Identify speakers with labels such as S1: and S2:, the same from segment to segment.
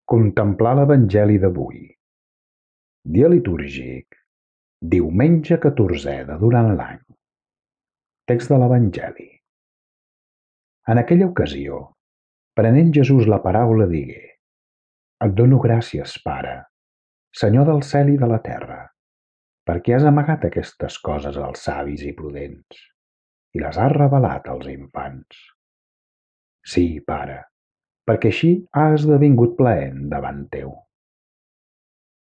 S1: Contemplar l'Evangeli d'avui. Dia litúrgic. Diumenge 14è de durant l'any. Text de l'Evangeli. En aquella ocasió, prenent Jesús la paraula digué: Et dono gràcies, Pare, Senyor del cel i de la terra, perquè has amagat aquestes coses als savis i prudents i les has revelat als infants. Sí, Pare, perquè així ha esdevingut plaent davant teu.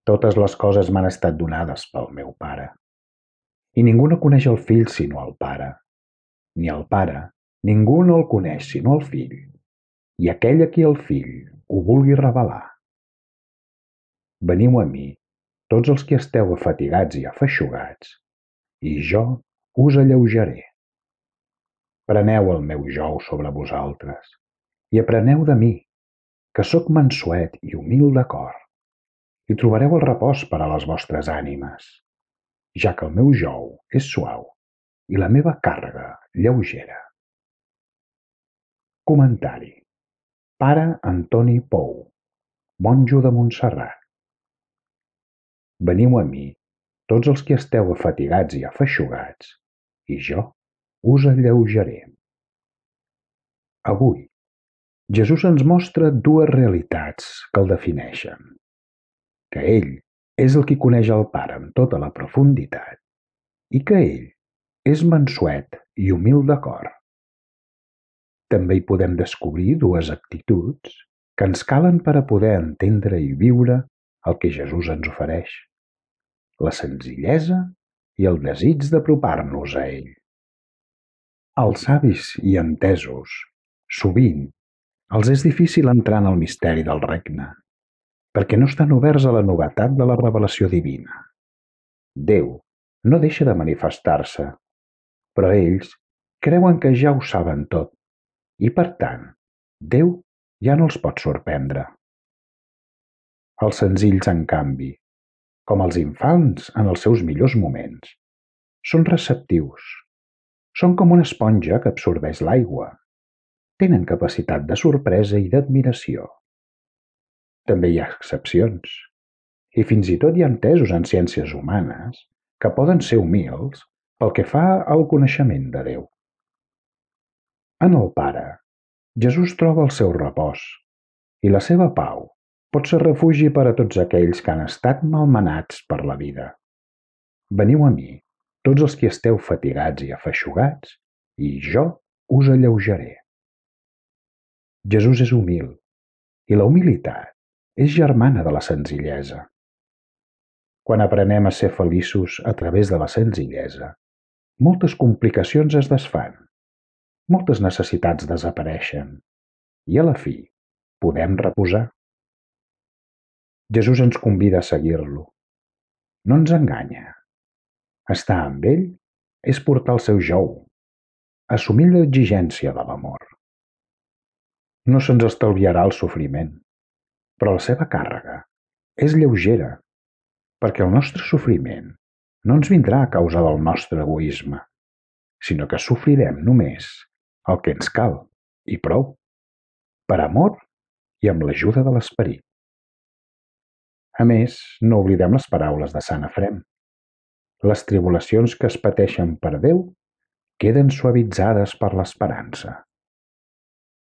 S1: Totes les coses m'han estat donades pel meu Pare, i ningú no coneix el Fill sinó el Pare, ni el Pare ningú no el coneix sinó el Fill, i aquell a qui el Fill ho vulgui revelar. Veniu a mi, tots els que esteu afatigats i afeixugats, i jo us alleujaré. Preneu el meu jou sobre vosaltres, i apreneu de mi, que sóc mansuet i humil de cor, i trobareu el repòs per a les vostres ànimes, ja que el meu jou és suau i la meva càrrega lleugera. Comentari. Pare Antoni Pou, monjo de Montserrat. Veniu a mi, tots els que esteu afatigats i afeixugats, i jo us alleujaré. Avui, Jesús ens mostra dues realitats que el defineixen: que ell és el qui coneix el Pare amb tota la profunditat i que ell és mansuet i humil de cor. També hi podem descobrir dues actituds que ens calen per a poder entendre i viure el que Jesús ens ofereix: la senzillesa i el desig d'apropar-nos a ell. Als savis i entesos, sovint, els és difícil entrar en el misteri del regne, perquè no estan oberts a la novetat de la revelació divina. Déu no deixa de manifestar-se, però ells creuen que ja ho saben tot, i per tant, Déu ja no els pot sorprendre. Els senzills, en canvi, com els infants en els seus millors moments, són receptius. Són com una esponja que absorbeix l'aigua. Tenen capacitat de sorpresa i d'admiració. També hi ha excepcions, i fins i tot hi ha entesos en ciències humanes que poden ser humils pel que fa al coneixement de Déu. En el Pare, Jesús troba el seu repòs, i la seva pau pot ser refugi per a tots aquells que han estat malmenats per la vida. Veniu a mi, tots els que esteu fatigats i afeixugats, i jo us alleujaré. Jesús és humil, i la humilitat és germana de la senzillesa. Quan aprenem a ser feliços a través de la senzillesa, moltes complicacions es desfan, moltes necessitats desapareixen, i a la fi podem reposar. Jesús ens convida a seguir-lo. No ens enganya. Estar amb ell és portar el seu jou, assumir l'exigència de l'amor. No se'ns estalviarà el sofriment, però la seva càrrega és lleugera, perquè el nostre sofriment no ens vindrà a causa del nostre egoisme, sinó que sofrirem només el que ens cal, i prou, per amor i amb l'ajuda de l'Esperit. A més, no oblidem les paraules de Sant Efrem: les tribulacions que es pateixen per Déu queden suavitzades per l'esperança.